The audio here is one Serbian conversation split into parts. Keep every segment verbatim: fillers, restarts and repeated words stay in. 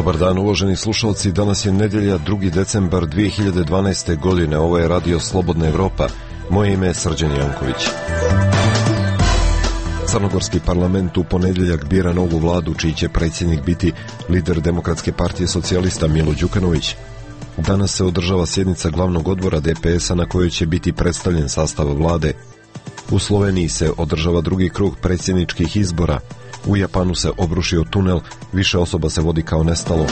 Dobar dan, uvaženi slušalci. Danas je nedjelja, drugi decembar dvije hiljade dvanaeste. godine. Ovo je Radio Slobodna Evropa. Moje ime je Srđan Janković. Crnogorski parlament u ponedjeljak bira novu vladu, čiji će predsjednik biti lider Demokratske partije socijalista Milo Đukanović. Danas se održava sjednica glavnog odbora D P S-a na kojoj će biti predstavljen sastav vlade. U Sloveniji se održava drugi krug predsjedničkih izbora. U Japanu se obrušio tunel, više osoba se vodi kao nestalo.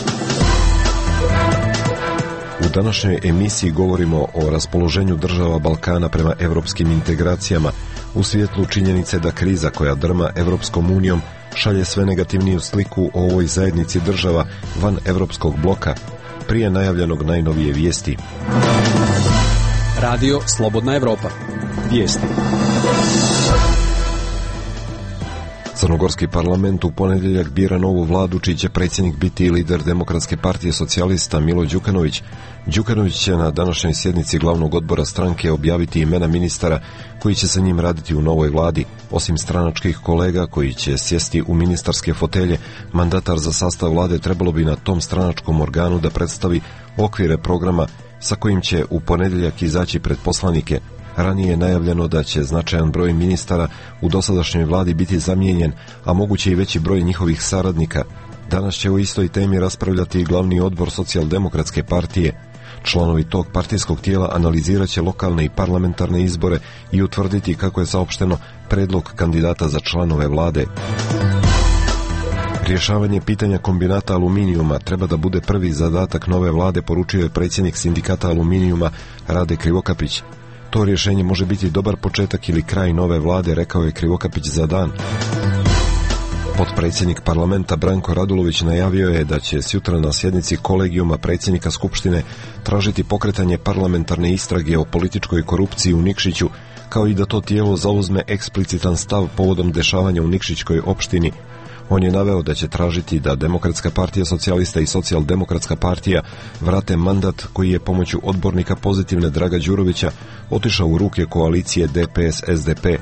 U današnjoj emisiji govorimo o raspoloženju država Balkana prema evropskim integracijama, u svjetlu činjenice da kriza koja drma Evropskom unijom šalje sve negativniju sliku o ovoj zajednici država van evropskog bloka, prije najavljenog najnovije vijesti. Radio Slobodna Evropa. Vijesti. Crnogorski parlament u ponedjeljak bira novu vladu, čiji će predsjednik biti lider Demokratske partije socijalista Milo Đukanović. Đukanović će na današnjoj sjednici glavnog odbora stranke objaviti imena ministara koji će sa njim raditi u novoj vladi. Osim stranačkih kolega koji će sjesti u ministarske fotelje, mandatar za sastav vlade trebalo bi na tom stranačkom organu da predstavi okvire programa sa kojim će u ponedjeljak izaći pred poslanike. Ranije je najavljeno da će značajan broj ministara u dosadašnjoj vladi biti zamijenjen, a moguće i veći broj njihovih saradnika. Danas će o istoj temi raspravljati i glavni odbor Socijaldemokratske partije. Članovi tog partijskog tijela analizirat će lokalne i parlamentarne izbore i utvrditi, kako je saopšteno, predlog kandidata za članove vlade. Rješavanje pitanja kombinata aluminijuma treba da bude prvi zadatak nove vlade, poručio je predsjednik sindikata aluminijuma Rade Krivokapić. To rješenje može biti dobar početak ili kraj nove vlade, rekao je Krivokapić za Dan. Potpredsjednik parlamenta Branko Radulović najavio je da će sutra na sjednici kolegijuma predsjednika Skupštine tražiti pokretanje parlamentarne istrage o političkoj korupciji u Nikšiću, kao i da to tijelo zauzme eksplicitan stav povodom dešavanja u Nikšićkoj opštini. On je naveo da će tražiti da Demokratska partija socijalista i Socijaldemokratska partija vrate mandat koji je pomoću odbornika Pozitivne Draga Đurovića otišao u ruke koalicije D P S S D P.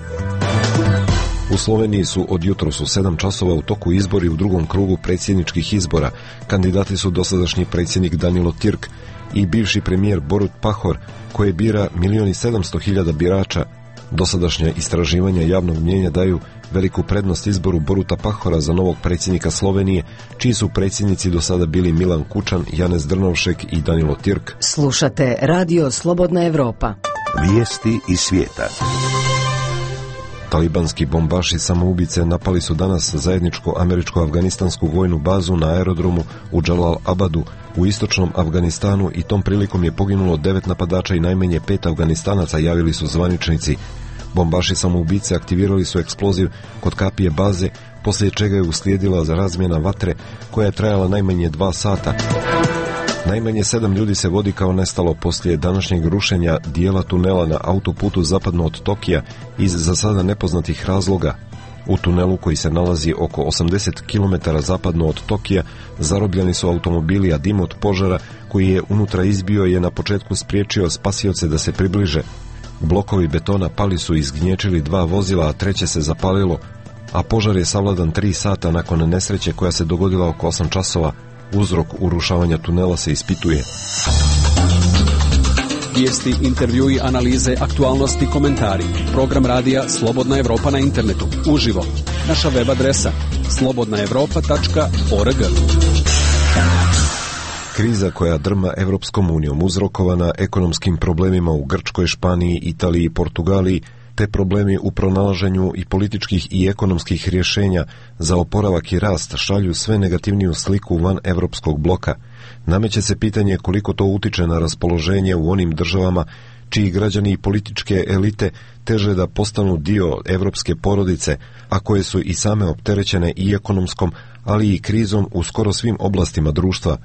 U Sloveniji su od jutros u sedam časova u toku izbori u drugom krugu predsjedničkih izbora. Kandidati su dosadašnji predsjednik Danilo Tirk i bivši premijer Borut Pahor, koje bira milion i sedamsto hiljada birača. Dosadašnja istraživanja javnog mnijenja daju veliku prednost izboru Boruta Pahora za novog predsjednika Slovenije, čiji su predsjednici do sada bili Milan Kučan, Janez Drnovšek i Danilo Tirk. Slušate Radio Slobodna Evropa. Vijesti iz svijeta. Talibanski bombaši samoubice napali su danas zajedničko američko-afganistansku vojnu bazu na aerodromu u Džalal Abadu u istočnom Afganistanu i tom prilikom je poginulo devet napadača i najmanje pet Afganistanaca, javili su zvaničnici. Bombaši samoubice aktivirali su eksploziv kod kapije baze, poslije čega je uslijedila razmjena vatre koja je trajala najmanje dva sata. Najmanje sedam ljudi se vodi kao nestalo poslije današnjeg rušenja dijela tunela na autoputu zapadno od Tokija iz za sada nepoznatih razloga. U tunelu, koji se nalazi oko osamdeset kilometara zapadno od Tokija, zarobljeni su automobili, a dim od požara koji je unutra izbio je na početku spriječio spasioce da se približe. Blokovi betona pali su i izgnječili dva vozila, a treće se zapalilo, a požar je savladan tri sata nakon nesreće koja se dogodila oko osam časova. Uzrok urušavanja tunela se ispituje. Vijesti, intervjui, analize, aktualnosti, komentari. Program radija Slobodna Evropa na internetu. Uživo. Naša web adresa slobodna evropa tačka org. Kriza koja drma Evropskom unijom, uzrokovana ekonomskim problemima u Grčkoj, Španiji, Italiji i Portugaliji, te problemi u pronalaženju i političkih i ekonomskih rješenja za oporavak i rast šalju sve negativniju sliku van evropskog bloka. Nameće se pitanje koliko to utiče na raspoloženje u onim državama čiji građani i političke elite teže da postanu dio evropske porodice, a koje su i same opterećene i ekonomskom, ali i krizom u skoro svim oblastima društva.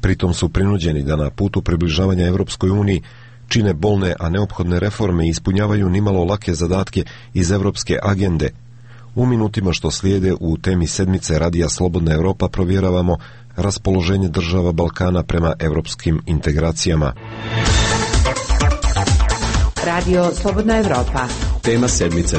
Pritom su prinuđeni da na putu približavanja Evropskoj uniji čine bolne, a neophodne reforme i ispunjavaju nimalo lake zadatke iz evropske agende. U minutima što slijede u temi sedmice Radija Slobodna Evropa provjeravamo raspoloženje država Balkana prema evropskim integracijama. Radio Slobodna Evropa. Tema sedmice.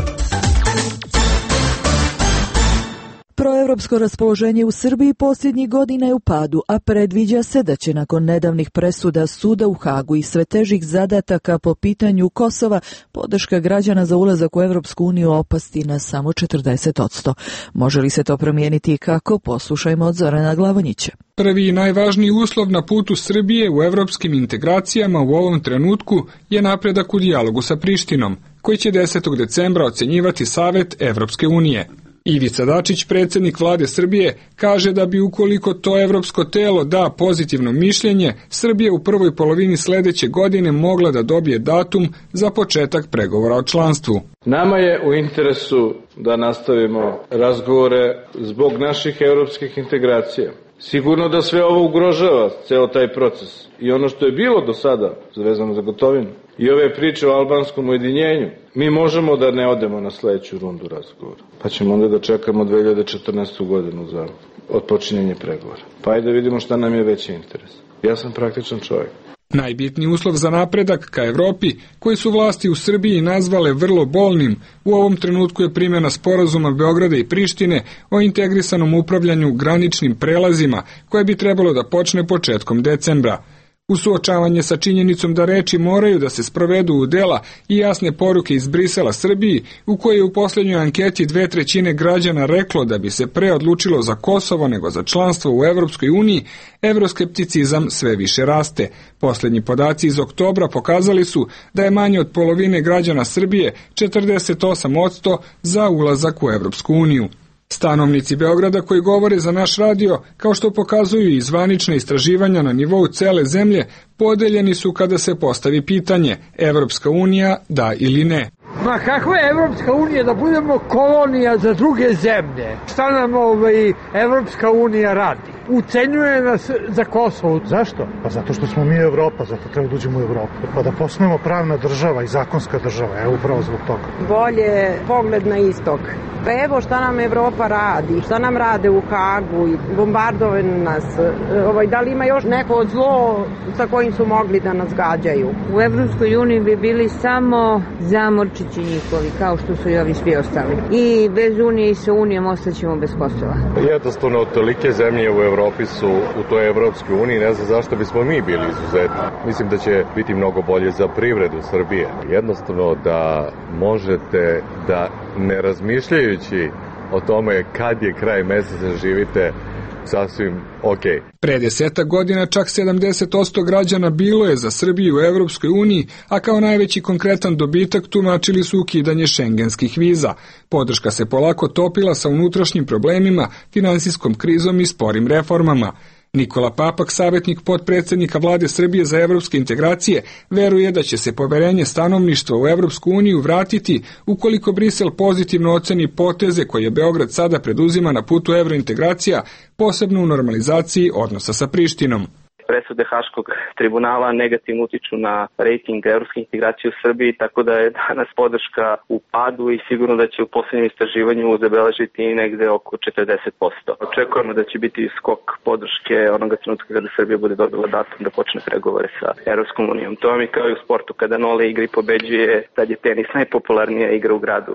Proevropsko raspoloženje u Srbiji posljednjih godina je u padu, a predviđa se da će nakon nedavnih presuda suda u Hagu i sve težih zadataka po pitanju Kosova podrška građana za ulazak u Evropsku uniju opasti na samo četrdeset posto. Može li se to promijeniti i kako? Poslušajmo od Zorana Glavonjića. Prvi i najvažniji uslov na putu Srbije u evropskim integracijama u ovom trenutku je napredak u dijalogu sa Prištinom, koji će desetog decembra ocenjivati Savet Evropske unije. Ivica Dačić, predsjednik vlade Srbije, kaže da bi ukoliko to evropsko telo da pozitivno mišljenje, Srbija u prvoj polovini sledeće godine mogla da dobije datum za početak pregovora o članstvu. Nama je u interesu da nastavimo razgovore zbog naših evropskih integracija. Sigurno da sve ovo ugrožava ceo taj proces i ono što je bilo do sada vezano za Gotovinu i ove priče o albanskom ujedinjenju, mi možemo da ne odemo na sledeću rundu razgovora, pa ćemo onda da čekamo dve hiljade četrnaestu. godinu za odpočinjenje pregovora. Pa ajde da vidimo šta nam je veći interes. Ja sam praktičan čovjek. Najbitniji uslov za napredak ka Evropi, koji su vlasti u Srbiji nazvale vrlo bolnim, u ovom trenutku je primjena sporazuma Beograda i Prištine o integrisanom upravljanju graničnim prelazima, koje bi trebalo da počne početkom decembra. U suočavanje sa činjenicom da reči moraju da se sprovedu u dela i jasne poruke iz Brisela Srbiji, u kojoj je u posljednjoj anketi dve trećine građana reklo da bi se pre odlučilo za Kosovo nego za članstvo u Evropskoj uniji, evroskepticizam sve više raste. Posljednji podaci iz oktobra pokazali su da je manje od polovine građana Srbije, četrdeset osam posto, za ulazak u Evropsku uniju. Stanovnici Beograda koji govore za naš radio, kao što pokazuju i zvanične istraživanja na nivou cele zemlje, podeljeni su kada se postavi pitanje Evropska unija da ili ne. Ma kakva je Evropska unija da budemo kolonija za druge zemlje? Šta nam ovaj Evropska unija radi? Ucenjuje nas za Kosovo. Zašto? Pa zato što smo mi Evropa, zato treba da uđemo u Evropu. Pa da postanemo pravna država i zakonska država, evo upravo zbog toga. Bolje pogled na istok. Pa evo šta nam Evropa radi, šta nam rade u Hagu i bombardovaju nas. Ovaj, da li ima još neko zlo sa kojim su mogli da nas gađaju? U Evropskoj uniji bi bili samo zamorčići njihovi, kao što su i ovi svi ostali. I bez unije i sa unijom ostaćemo bez Kosova. Jednostavno, tolike zemlje u Evropi su u toj Evropskoj uniji, ne znam zašto bismo mi bili izuzetni. Mislim da će biti mnogo bolje za privredu Srbije. Jednostavno da možete da ne razmišljajući o tome kad je kraj meseca živite sasvim ok. Pre deseta godina čak sedamdeset posto građana bilo je za Srbiju u Evropskoj uniji, a kao najveći konkretan dobitak tumačili su ukidanje šengenskih viza. Podrška se polako topila sa unutrašnjim problemima, finansijskom krizom i sporim reformama. Nikola Papak, savjetnik potpredsjednika vlade Srbije za evropske integracije, veruje da će se poverenje stanovništva u Evropsku uniju vratiti ukoliko Brisel pozitivno oceni poteze koje Beograd sada preduzima na putu evrointegracija, posebno u normalizaciji odnosa sa Prištinom. Presude Haškog tribunala negativno utiču na rejting evropske integracije u Srbiji, tako da je danas podrška u padu i sigurno da će u posljednjem istraživanju zabeležiti negde oko četrdeset posto. Očekujemo da će biti skok podrške onoga trenutka kada Srbija bude dobila datum da počne pregovore sa Evropskom unijom. To vam je kao i u sportu, kada nole igra i pobeđuje, tad je tenis najpopularnija igra u gradu.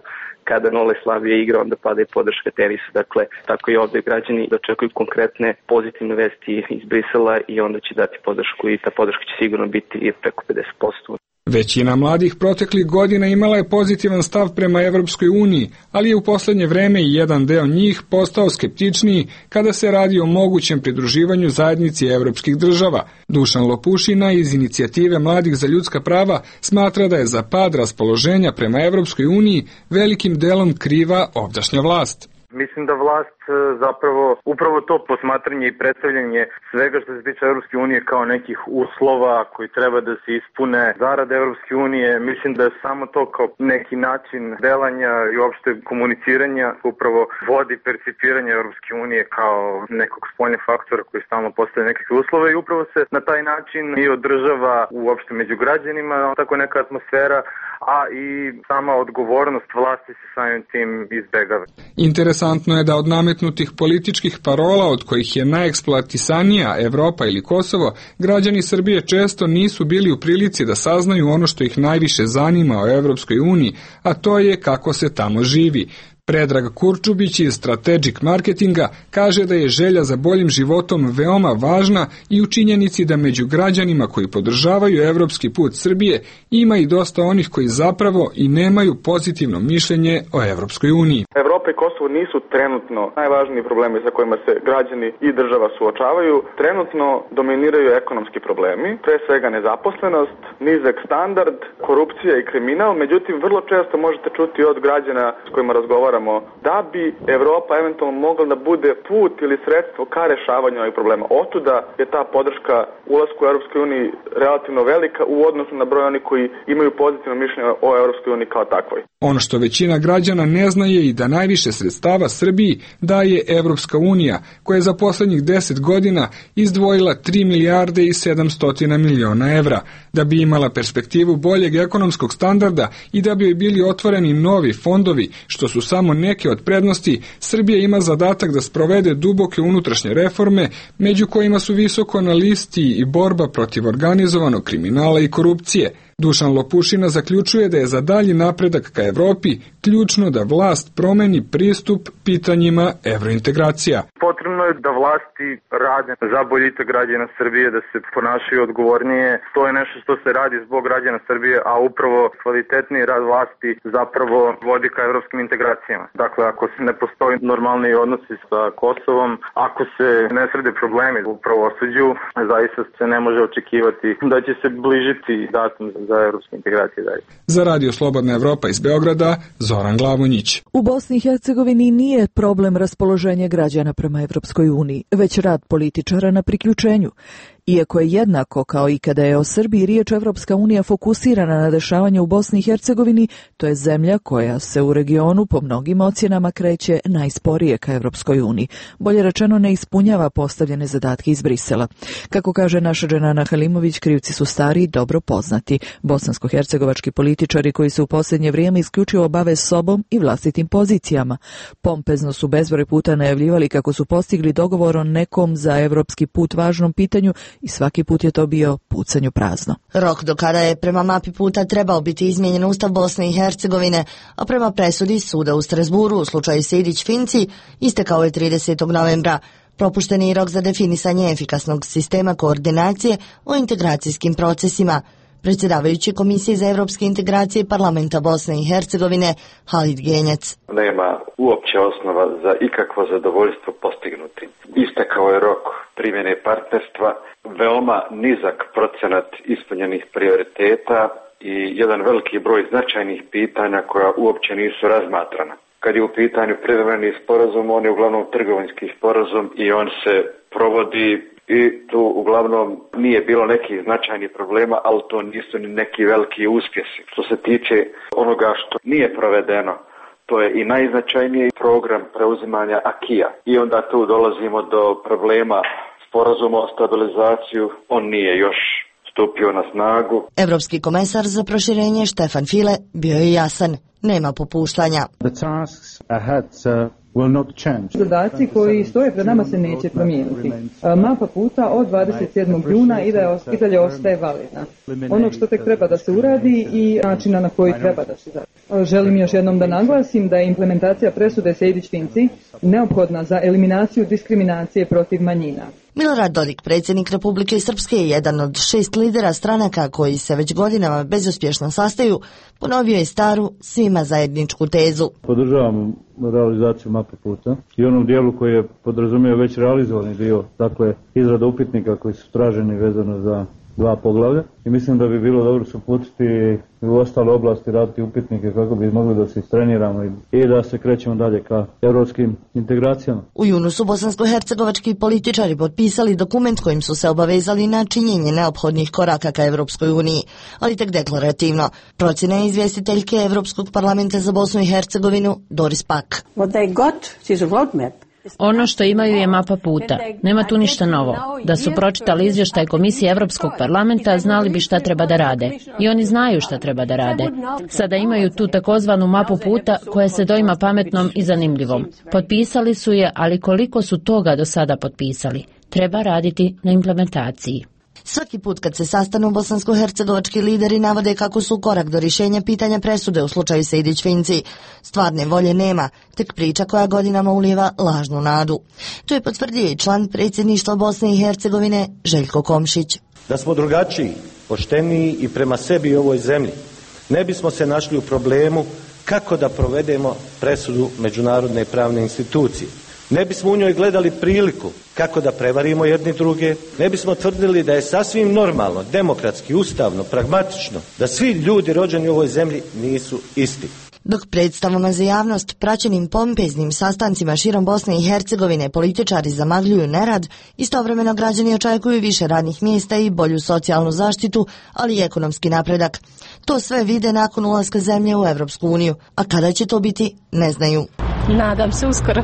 Kada nole slabije igra, onda pada i podrška tenisu. Dakle, tako i ovdje građani očekuju konkretne pozitivne vesti iz Brisela i onda će dati podršku i ta podrška će sigurno biti preko pedeset posto. Većina mladih proteklih godina imala je pozitivan stav prema Evropskoj uniji, ali je u posljednje vreme i jedan deo njih postao skeptičniji kada se radi o mogućem pridruživanju zajednici evropskih država. Dušan Lopušina iz inicijative Mladih za ljudska prava smatra da je za pad raspoloženja prema Evropskoj uniji velikim delom kriva ovdašnja vlast. Mislim da vlast zapravo upravo to posmatranje i predstavljanje svega što se tiče Evropske unije kao nekih uslova koji treba da se ispune zarad Evropske unije, mislim da je samo to kao neki način delanja i uopšte komuniciranja upravo vodi percipiranje Evropske unije kao nekog spoljnog faktora koji stalno postavlja nekakve uslove i upravo se na taj način i održava uopšte među građanima tako neka atmosfera, a i sama odgovornost vlasti se samim tim izbegava. Interesantno je da od nametnutih političkih parola, od kojih je najeksploatisanija Evropa ili Kosovo, građani Srbije često nisu bili u prilici da saznaju ono što ih najviše zanima o Evropskoj uniji, a to je kako se tamo živi. Predrag Kurčubić iz Strategic Marketinga kaže da je želja za boljim životom veoma važna i u činjenici da među građanima koji podržavaju evropski put Srbije ima i dosta onih koji zapravo i nemaju pozitivno mišljenje o Evropskoj uniji. Evropa i Kosovo nisu trenutno najvažniji problemi sa kojima se građani i država suočavaju. Trenutno dominiraju ekonomski problemi, pre svega nezaposlenost, nizak standard, korupcija i kriminal, međutim vrlo često možete čuti od građana s kojima razgovaramo da bi Evropa eventualno mogla da bude put ili sredstvo ka rešavanju ovih problema. Otuda je ta podrška ulasku u Evropskoj uniji relativno velika u odnosu na broj onih koji imaju pozitivno mišljenje o Evropskoj uniji kao takvoj. Ono što većina građana ne zna je i da najviše sredstava Srbiji daje Evropska unija, koja je za poslednjih deset godina izdvojila tri milijarde i sedamsto miliona evra, da bi imala perspektivu boljeg ekonomskog standarda i da bi joj bili otvoreni novi fondovi, što su samo neke od prednosti. Srbija ima zadatak da sprovede duboke unutrašnje reforme, među kojima su visoko na listi i borba protiv organizovanog kriminala i korupcije. Dušan Lopušina zaključuje da je za dalji napredak ka Evropi ključno da vlast promeni pristup pitanjima evrointegracija. Potrebno je da vlasti rade za boljitak građana Srbije, da se ponašaju odgovornije. To je nešto što se radi zbog građana Srbije, a upravo kvalitetniji rad vlasti zapravo vodi ka evropskim integracijama. Dakle, ako se ne postoji normalni odnosi sa Kosovom, ako se ne srede problemi u pravosuđu, zaista se ne može očekivati da će se bližiti datum za evropske integracije dalje. Za Radio Slobodna Evropa iz Beograda, Zoran Glavonjić. U Bosni i Hercegovini nije problem raspoloženje građana prema Evropskoj uniji, već rad političara na priključenju. Iako je jednako kao i kada je o Srbiji riječ, Evropska unija fokusirana na dešavanje u Bosni i Hercegovini, to je zemlja koja se u regionu po mnogim ocjenama kreće najsporije ka Evropskoj uniji. Bolje rečeno, ne ispunjava postavljene zadatke iz Brisela. Kako kaže naša Dženana Halimović, krivci su stari i dobro poznati. Bosansko-hercegovački političari koji se u posljednje vrijeme isključivo bave sobom i vlastitim pozicijama. Pompezno su bezbroj puta najavljivali kako su postigli dogovor o nekom za evropski put važnom pitanju i svaki put je to bio pucanju prazno. Rok do kada je prema mapi puta trebao biti izmijenjen Ustav Bosne i Hercegovine, a prema presudi suda u Strasburu u slučaju Sejdić-Finci istekao je tridesetog novembra. Propušten je rok za definisanje efikasnog sistema koordinacije o integracijskim procesima. Predsjedavajući Komisije za evropske integracije Parlamenta Bosne i Hercegovine, Halid Genjac. Nema uopće osnova za ikakvo zadovoljstvo postignuti. Istekao je rok primjene partnerstva, veoma nizak procenat ispunjenih prioriteta i jedan veliki broj značajnih pitanja koja uopće nisu razmatrana. Kad je u pitanju privremeni sporazum, on je uglavnom trgovinski sporazum i on se provodi i tu uglavnom nije bilo nekih značajnih problema, ali to nisu ni neki veliki uspjesi. Što se tiče onoga što nije provedeno, to je i najznačajniji program preuzimanja akija. I onda tu dolazimo do problema sporazuma o stabilizaciju, on nije još stupio na snagu. Evropski komesar za proširenje Štefan File bio je jasan, nema popuštanja. The tasks ahead, uh... Zadaci koji stoje pred nama se neće promijeniti. Mapa puta od dvadeset sedmog juna i dalje ostaje validna. Onog što tek treba da se uradi i načina na koji treba da se uradi. Želim još jednom da naglasim da je implementacija presude Sejdić-Finci neophodna za eliminaciju diskriminacije protiv manjina. Milorad Dodik, predsjednik Republike Srpske, je jedan od šest lidera stranaka koji se već godinama bezuspješno sastaju, ponovio je staru, svima zajedničku tezu. Podržavam realizaciju mape puta i onom dijelu koji je podrazumio već realizovani dio, dakle izrada upitnika koji su traženi vezano za dva poglavlja i mislim da bi bilo dobro se uputiti u ostale oblasti, raditi upitnike kako bi mogli da se istreniramo i da se krećemo dalje ka evropskim integracijama. U junu su bosansko-hercegovački političari potpisali dokument kojim su se obavezali na činjenje neophodnih koraka ka Evropskoj uniji, ali tek deklarativno. Procjena je izvjestiteljke Evropskog parlamenta za Bosnu i Hercegovinu Doris Pak. What they got is a roadmap. Ono što imaju je mapa puta. Nema tu ništa novo. Da su pročitali izvještaj Komisije Evropskog parlamenta, znali bi šta treba da rade. I oni znaju šta treba da rade. Sada imaju tu takozvanu mapu puta koja se doima pametnom i zanimljivom. Potpisali su je, ali koliko su toga do sada potpisali? Treba raditi na implementaciji. Svaki put kad se sastanu bosansko-hercegovački lideri navode kako su korak do rješenja pitanja presude u slučaju Sejdić-Finci. Stvarne volje nema, tek priča koja godinama ulijeva lažnu nadu. To je potvrdio i član predsjedništva Bosne i Hercegovine Željko Komšić. Da smo drugačiji, pošteniji i prema sebi i ovoj zemlji, ne bismo se našli u problemu kako da provedemo presudu međunarodne pravne institucije. Ne bismo u njoj gledali priliku kako da prevarimo jedni druge, ne bismo tvrdili da je sasvim normalno, demokratski, ustavno, pragmatično, da svi ljudi rođeni u ovoj zemlji nisu isti. Dok predstavama za javnost, praćenim pompeznim sastancima širom Bosne i Hercegovine, političari zamagljuju nerad, istovremeno građani očekuju više radnih mjesta i bolju socijalnu zaštitu, ali i ekonomski napredak. To sve vide nakon ulaska zemlje u Evropsku uniju, a kada će to biti, ne znaju. Nadam se uskoro.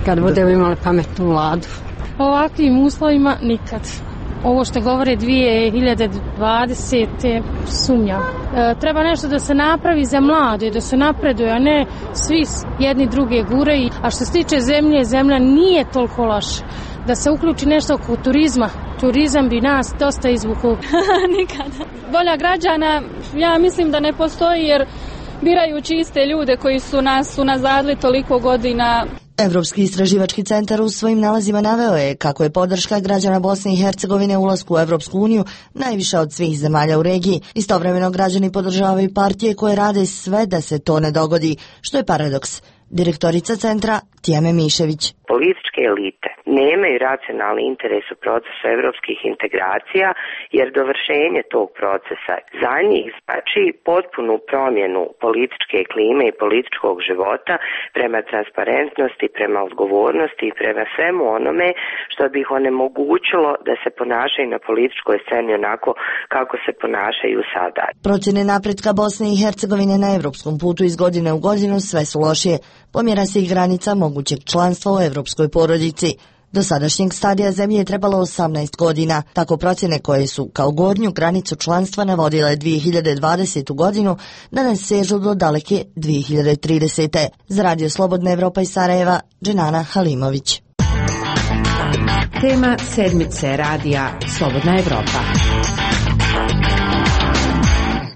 Kad budemo imali pametnu vladu. Ovakvim uslovima nikad. Ovo što govore dvije hiljade dvadesete sumnjam. E, treba nešto da se napravi za mlade, da se napreduje, a ne svi jedni druge gure. A što se tiče zemlje, zemlja nije toliko loša. Da se uključi nešto oko turizma. Turizam bi nas dosta izvukao. Nikada. Volja građana, ja mislim da ne postoji jer birajući iste ljude koji su nas unazadili toliko godina. Evropski istraživački centar u svojim nalazima naveo je kako je podrška građana Bosne i Hercegovine u ulasku u Evropsku uniju najviša od svih zemalja u regiji. Istovremeno građani podržavaju partije koje rade sve da se to ne dogodi, što je paradoks. Direktorica centra Tijeme Mišević. Političke elite nemaju racionalni interes u procesu evropskih integracija, jer dovršenje tog procesa za njih znači potpunu promjenu političke klime i političkog života prema transparentnosti, prema odgovornosti i prema svemu onome što bi ih onemogućilo da se ponašaju na političkoj sceni onako kako se ponašaju sada. Procjene napretka Bosne i Hercegovine na evropskom putu iz godine u godinu sve su lošije. Pomjera se i granica mogućeg članstva u evropskoj porodici. Do sadašnjeg stadija zemlje je trebalo osamnaest godina. Tako procjene koje su kao gornju granicu članstva navodile dvije hiljade dvadesete. godinu, danas sežu do daleke dvije hiljade tridesete. Za Radio Slobodna Evropa iz Sarajeva, Dženana Halimović. Tema sedmice radija Slobodna Evropa.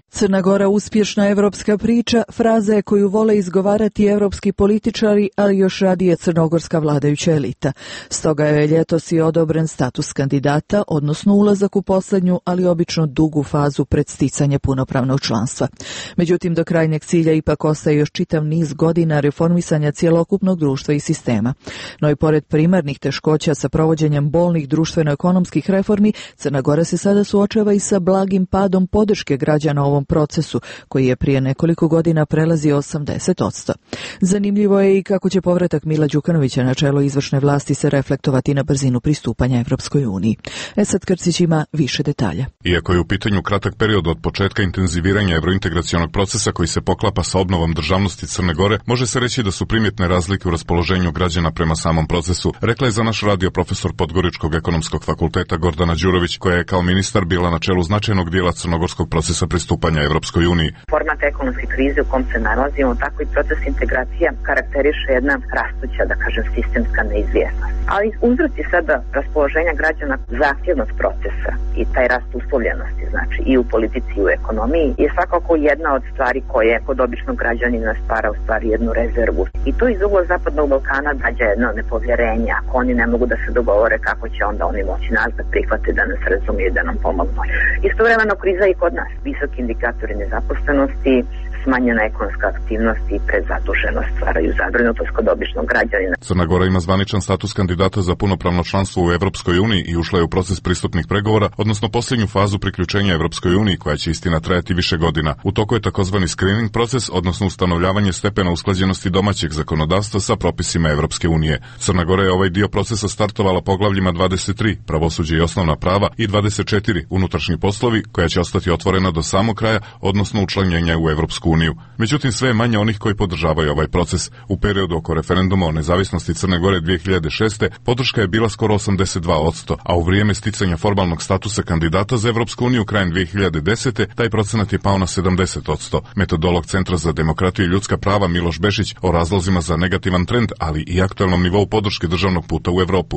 Crna Gora uspješna evropska priča, fraza je koju vole izgovarati evropski političari, ali još radije crnogorska vladajuća elita. Stoga je ljetos i odobren status kandidata, odnosno ulazak u posljednju, ali obično dugu fazu pred sticanje punopravnog članstva. Međutim, do krajnjeg cilja ipak ostaje još čitav niz godina reformisanja cjelokupnog društva i sistema. No i pored primarnih teškoća sa provođenjem bolnih društveno-ekonomskih reformi, Crna Gora se sada suočava i sa blagim padom podrške građana ovom procesu, koji je prije nekoliko godina prelazio osamdeset posto. Zanimljivo je i kako će povratak Mila Đukanovića na čelo izvršne vlasti se reflektovati na brzinu pristupanja Evropskoj uniji. Esad Krcić ima više detalja. Iako je u pitanju kratak period od početka intenziviranja evrointegracionog procesa koji se poklapa sa obnovom državnosti Crne Gore, može se reći da su primjetne razlike u raspoloženju građana prema samom procesu, rekla je za naš radio profesor Podgoričkog ekonomskog fakulteta Gordana Đurović, koja je kao ministar bila na čelu značajnog dijela crnogorskog procesa pristupanja Evropskoj uniji. Format ekonomske krize u kom se nalazimo, tako i proces integracija karakteriše jedna rastuća, da kažem, sistemska neizvjesnost. Ali uzroci sada raspoloženja građana zahtjevnost procesa i taj rast uslovljenosti, znači i u politici i u ekonomiji, je svakako jedna od stvari koje kod običnog građanina stvara u stvari jednu rezervu. I to iz ugla Zapadnog Balkana dađa jedno nepovjerenje. Ako oni ne mogu da se dogovore, kako će onda oni moći nas da prihvate, da nas razumiju, da nam pomognu. Istovremeno kriza i kod nas. Visoki indikatori nezaposlenosti, smanjena ekonomska aktivnost i prezaduženost stvaraju zabrinutost kod običnog građanina. Crna Gora ima zvaničan status kandidata za punopravno članstvo u Evropskoj uniji i ušla je u proces pristupnih pregovora, odnosno posljednju fazu priključenja Evropskoj uniji, koja će istina trajati više godina. U toku je takozvani screening proces, odnosno ustanovljavanje stepena usklađenosti domaćeg zakonodavstva sa propisima Evropske unije. Crna Gora je ovaj dio procesa startovala poglavljima dvadeset tri, pravosuđe i osnovna prava, i dvadeset četiri, unutrašnji poslovi, koja će ostati otvorena do samog kraja, odnosno učlanjenja u Evropsku uniju. uniju. Međutim, sve je manje onih koji podržavaju ovaj proces. U periodu oko referenduma o nezavisnosti Crne Gore dvije hiljade šeste. podrška je bila skoro osamdeset dva posto, a u vrijeme sticanja formalnog statusa kandidata za Evropsku uniju krajem dvije hiljade desete. taj procenat je pao na sedamdeset posto. Metodolog Centra za demokratiju i ljudska prava Miloš Bešić o razlozima za negativan trend, ali i aktualnom nivou podrške državnog puta u Evropu.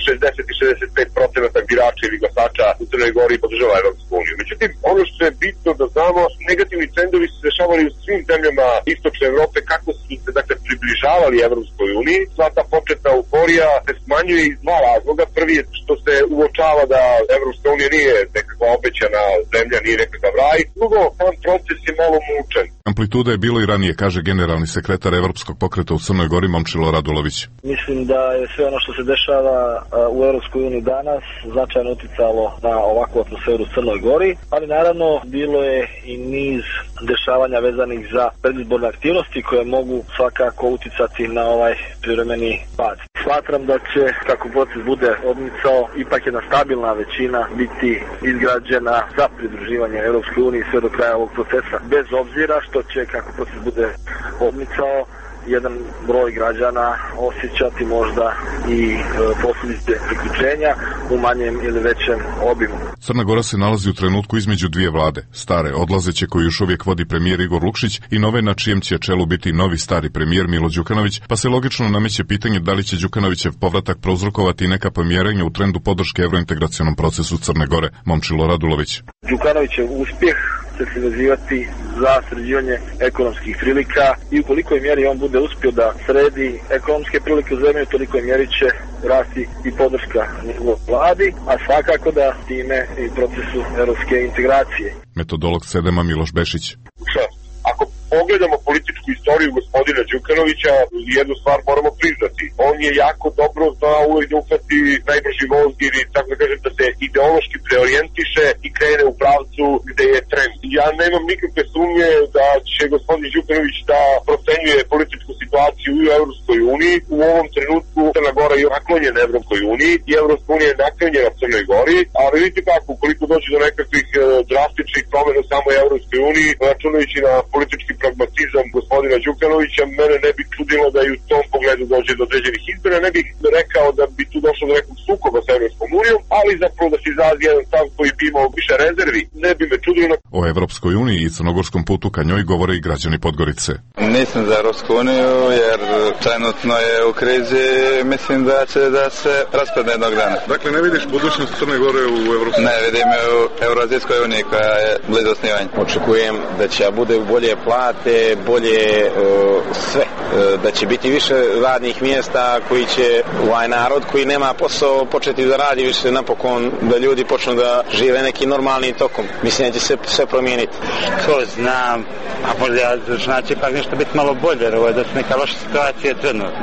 šezdeset i šezdeset pet procenata birača ili glasača u Crnoj Gori podržava Evropsku uniju. Međutim, ono što je bitno da znamo, negativni trendovi su se dešavali u svim zemljama istočne Evrope kako su se dakle približavali Evropskoj uniji. Sva ta početna euforija se smanjuje iz dva razloga. Prvi je što se uočava da Evropska unija nije nekakva obećana zemlja, nije nekakav raj. Drugo, sam proces je malo mučan. Amplituda je bilo i ranije, kaže generalni sekretar Evropskog pokreta u Crnoj Gori Momčilo Radulović. Mislim da je sve ono što se dešava u Evropskoj uniji danas značajno uticalo na ovakvu atmosferu u Crnoj Gori, ali naravno bilo je i niz dešavanja vezanih za predizborne aktivnosti koje mogu svakako uticati na ovaj privremeni pad. Smatram da će, kako proces bude odmicao, ipak jedna stabilna većina biti izgrađena za pridruživanje Evropskoj uniji sve do kraja ovog procesa, bez obzira što će, kako proces bude odmicao, jedan broj građana osjećati možda i e, posljedice priključenja u manjem ili većem obimu. Crna Gora se nalazi u trenutku između dvije vlade, stare odlazeće koju još uvijek vodi premijer Igor Lukšić i nove na čijem će čelu biti novi stari premijer Milo Đukanović, pa se logično nameće pitanje da li će Đukanovićev povratak prouzrokovati neka pomjerenja u trendu podrške evrointegracionom procesu Crne Gore. Momčilo Radulović. Đukanovićev uspjeh će se vezivati za sređivanje ekonomskih prilika i u kolikoj mjeri on bude uspio da sredi ekonomske prilike u zemlji, u tolikoj mjeri će rasti i podrška njegovoj vladi, a svakako da time i procesu europske integracije. Metodolog sedema Miloš Bešić. Ako pogledamo političku istoriju gospodina Đukanovića, jednu stvar moramo priznati. On je jako dobro znao uvijek da uhvati najbrži voz ili, tako da kažem, da se ideološki preorijentiše i krene u pravcu gde je trend. Ja nemam nikakve sumnje da će gospodin Đukanović da procenjuje političku situaciju u Evropskoj uniji. U ovom trenutku Crna Gora je naklonjena Evropskoj uniji i Evropska unija je naklonjena Crnoj Gori, ali vidite kako, ukoliko dođe do nekakvih uh, drastičnih promjena u samoj Evropskoj uniji, računajući na politički pragmatizam gospodina Đukanovića, mene ne bi čudilo da i u tom pogledu dođe do određenih izbora. Ne bih rekao da bi tu došlo do nekog sukoba sa Evropskom unijom, ali zapravo da se izrazi jedan stav koji bi imao više rezervi, ne bi me čudilo. O Evropskoj uniji i crnogorskom putu ka njoj govore i građani Podgorice. Nisam za Evropsku uniju jer trenutno je u krizi, mislim da će da se raspadne jednog dana. Dakle, ne vidiš budućnost Crne Gore u Evropskoj uniji? Ne, vidim je u Euroazijskoj uniji koja je blizu osnivanja. Očekujem da će bude bolje plate, bolje uh, sve, uh, da će biti više radnih mjesta koji će ovaj narod koji nema posao početi da radi više napokon, da ljudi počnu da žive nekim normalnim tokom. Mislim da će se sve promijeniti. Ko znam, a možda znači pak nešto biti malo bolje, jer ovo je da su neka loša situacija trenutno.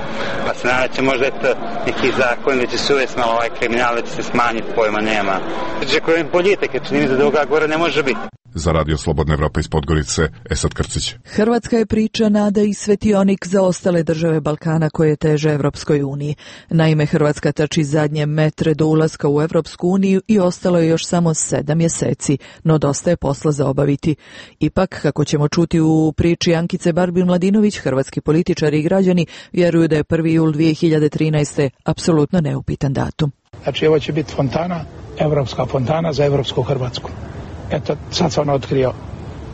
Pa se nadam će možda eto neki zakon da će se uvesti malo ovaj kriminal, da će se smanjiti, pojma nema. Očekujem boljitak, jer čini mi se da ovoga gore ne može biti. Za Radio Slobodna Evropa iz Podgorice, Esad Krcić. Hrvatska je priča, nada i svetionik za ostale države Balkana koje teže Evropskoj uniji. Naime, Hrvatska trči zadnje metre do ulaska u Evropsku uniju i ostalo je još samo sedam mjeseci, no dosta je posla za obaviti. Ipak, kako ćemo čuti u priči Ankice Barbin-Mladinović, hrvatski političari i građani vjeruju da je prvi jul dvije hiljade trinaeste. apsolutno neupitan datum. Znači, ovo će biti fontana, evropska fontana za evropsku Hrvatsku. Eto, sad sam otkrio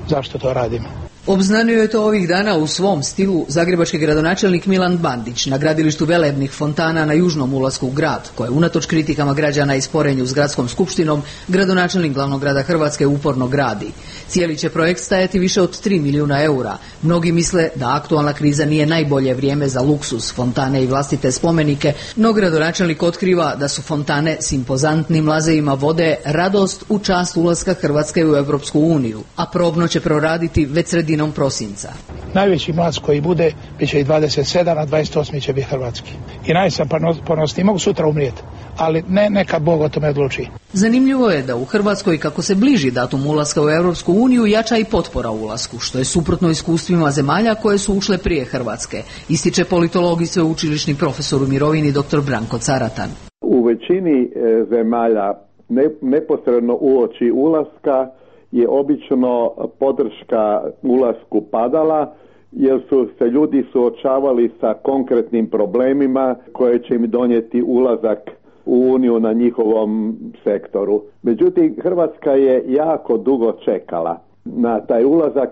zašto to radimo. Obznanio je to ovih dana u svom stilu zagrebački gradonačelnik Milan Bandić na gradilištu velebnih fontana na južnom ulasku u grad, koje unatoč kritikama građana i sporenju s gradskom skupštinom, gradonačelnik glavnog grada Hrvatske uporno gradi. Cijeli će projekt stajati više od tri milijuna eura. Mnogi misle da aktualna kriza nije najbolje vrijeme za luksuz, fontane i vlastite spomenike, no gradonačelnik otkriva da su fontane s impozantnim lazejima vode radost u čast ulaska Hrvatske u Europsku uniju, a probno će proraditi već sredinom prosinca. Najveći mlaz koji bude, bit će i dvadeset sedam, a dvadeset osam će biti hrvatski. I najsam ponosni, mogu sutra umrijeti, ali ne, neka Bog o tome odluči. Zanimljivo je da u Hrvatskoj, kako se bliži datum ulaska u Europsku uniju, jača i potpora ulasku, što je suprotno iskustvima zemalja koje su ušle prije Hrvatske, ističe politolog i sveučilišni profesor u mirovini dr. Branko Caratan. U većini zemalja ne, neposredno uoči ulaska je obično podrška ulasku padala, jer su se ljudi suočavali sa konkretnim problemima koje će im donijeti ulazak u Uniju na njihovom sektoru. Međutim, Hrvatska je jako dugo čekala na taj ulazak,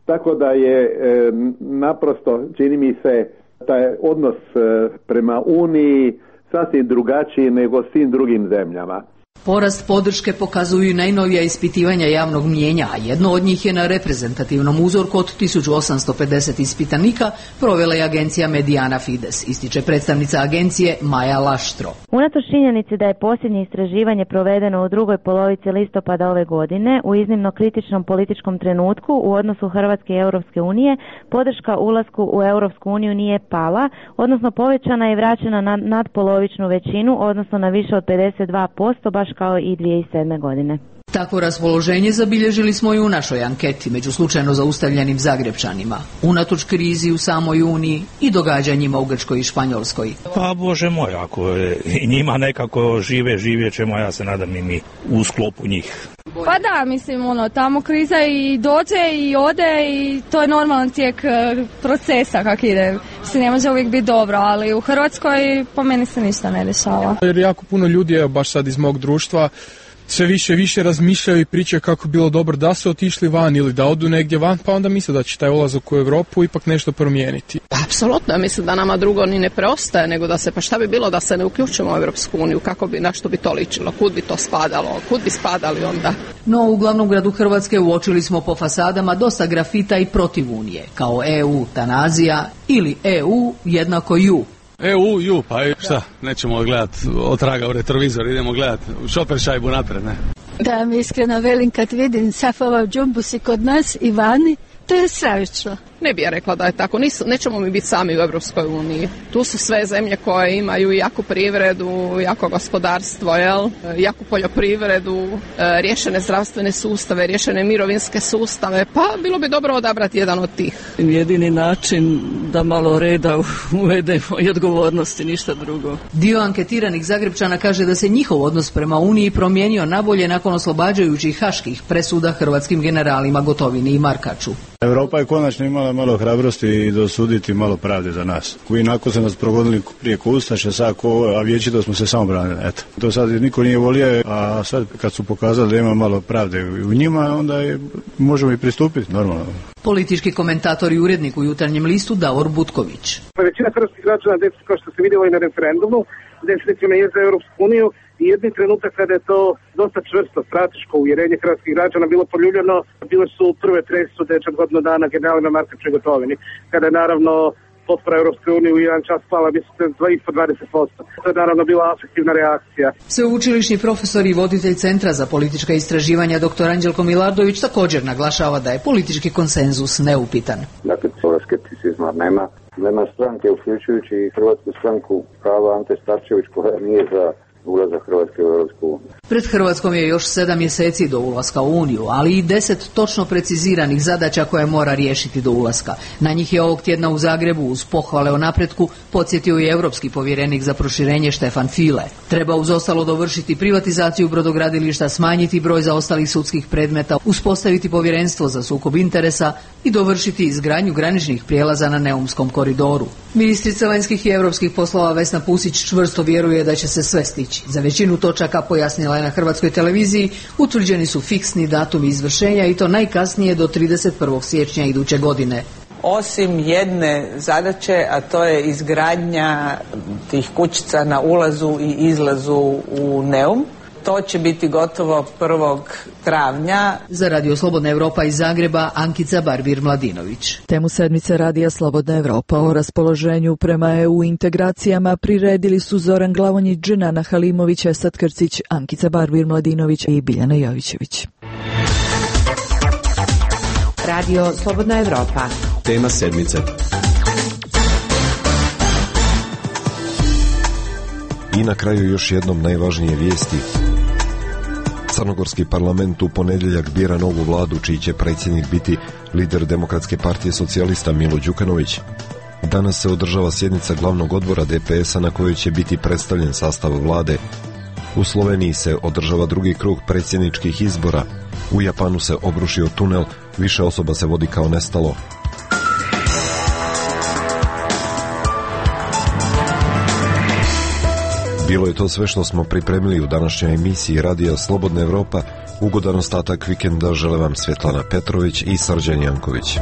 tako da je e, naprosto, čini mi se, taj odnos e, prema Uniji sasvim drugačiji nego svim drugim zemljama. Porast podrške pokazuju i najnovija ispitivanja javnog mnijenja, a jedno od njih je na reprezentativnom uzorku od tisuću osamsto pedeset ispitanika provela je agencija Mediana Fides, ističe predstavnica agencije Maja Laštro. Unatoč činjenici da je posljednje istraživanje provedeno u drugoj polovici listopada ove godine, u iznimno kritičnom političkom trenutku u odnosu Hrvatske i Europske unije, podrška ulasku u Europsku uniju nije pala, odnosno povećana je vraćena na nadpolovičnu većinu, odnosno na više od pedeset dva posto, baš kao i dvije tisuće sedme godine. Takvo raspoloženje zabilježili smo i u našoj anketi među slučajno zaustavljenim Zagrepčanima, unatoč krizi u samoj Uniji i događanjima u Grčkoj i Španjolskoj. Pa Bože moj, ako je, i njima nekako žive, živjet ćemo, ja se nadam i mi u sklopu njih. Pa da, mislim, ono, tamo kriza i dođe i ode i to je normalan tijek procesa kak ide. Se ne može uvijek biti dobro, ali u Hrvatskoj po meni se ništa ne dešava. Jer jako puno ljudi, evo baš sad iz mog društva, sve više i više razmišljaju i pričaju kako bilo dobro da su otišli van ili da odu negdje van, pa onda misle da će taj ulazak u Europu ipak nešto promijeniti. Apsolutno, mislim da nama drugo ni ne preostaje, nego da se, pa šta bi bilo da se ne uključimo u Europsku uniju, kako bi, na što bi to ličilo, kud bi to spadalo, kud bi spadali onda. No, u glavnom gradu Hrvatske uočili smo po fasadama dosta grafita i protiv Unije, kao E U tanazija ili E U jednako ju. E U, ju, pa šta, nećemo gledati otraga u retrovizor, idemo gledati šoper šajbu napred, ne? Da mi iskreno velim kad vidim Safova džumbusi kod nas i vani, to je stravično. Ne bi ja rekla da je tako, Nisu, nećemo mi biti sami u Europskoj uniji. Tu su sve zemlje koje imaju jaku privredu, jako gospodarstvo, jel? Jaku poljoprivredu, riješene zdravstvene sustave, riješene mirovinske sustave, pa bilo bi dobro odabrati jedan od tih. Jedini način da malo reda uvedemo i odgovornosti, ništa drugo. Dio anketiranih Zagrepčana kaže da se njihov odnos prema Uniji promijenio nabolje nakon oslobađajućih haških presuda hrvatskim generalima Gotovini i Markaču. Europa je konačno imala malo hrabrosti i dosuditi malo pravde za nas. Koji nakon se nas progonili prije ko ustaše, sad ko, a vječito smo se samo branili. Eto. To sad niko nije volio, a sad kad su pokazali da ima malo pravde u njima, onda je, možemo i pristupiti normalno. Politički komentator i urednik u Jutarnjem listu Davor Butković. Većina hrvatskih građana, kao što se vidjelo i na referendumu, definitivno je za Europsku uniju i jedni trenutak kada je to dosta čvrsto, strateško uvjerenje hrvatskih građana bilo poljuljano, bile su prve presude čak godinu dana generalima Markaču i Gotovini, kada je naravno potpora Europske unije u jedan čas pala mislim ispod dvadeset posto. To je naravno bila afektivna reakcija. Sveučilišni profesor i voditelj Centra za politička istraživanja dr. Anđelko Milardović također naglašava da je politički konsenzus neupitan. Dakle, toga skepticizma nema. Nema stranke, uključujući i Hrvatsku stranku prava Ante Starčević, koja nije za ulazak Hrvatske u Europsku uniju. Pred Hrvatskom je još sedam mjeseci do ulaska u Uniju, ali i deset točno preciziranih zadaća koje mora riješiti do ulaska. Na njih je ovog tjedna u Zagrebu uz pohvale o napretku podsjetio i europski povjerenik za proširenje Štefan File. Treba uz ostalo dovršiti privatizaciju brodogradilišta, smanjiti broj zaostalih sudskih predmeta, uspostaviti povjerenstvo za sukob interesa i dovršiti izgradnju graničnih prijelaza na Neumskom koridoru. Ministrica vanjskih i europskih poslova Vesna Pusić čvrsto vjeruje da će se sve stići. Za većinu točaka, pojasnila je na Hrvatskoj televiziji, utvrđeni su fiksni datumi izvršenja i to najkasnije do trideset prvog siječnja iduće godine. Osim jedne zadaće, a to je izgradnja tih kućica na ulazu i izlazu u Neum. To će biti gotovo prvog travnja. Za Radio Slobodna Europa iz Zagreba, Ankica Barbir-Mladinović. Temu sedmice Radija Slobodna Europa o raspoloženju prema E U integracijama priredili su Zoran Glavonjić, Dženana Halimović, Esad Krcić, Ankica Barbir-Mladinović i Biljana Jovićević. Radio Slobodna Europa. Tema sedmice. I na kraju još jednom najvažnije vijesti. Crnogorski parlament u ponedjeljak bira novu vladu čiji će predsjednik biti lider Demokratske partije socijalista Milo Đukanović. Danas se održava sjednica glavnog odbora D P S-a na kojoj će biti predstavljen sastav vlade. U Sloveniji se održava drugi krug predsjedničkih izbora. U Japanu se obrušio tunel, više osoba se vodi kao nestalo. Bilo je to sve što smo pripremili u današnjoj emisiji Radija Slobodna Evropa. Ugodan ostatak vikenda žele vam Svetlana Petrović i Srđan Janković.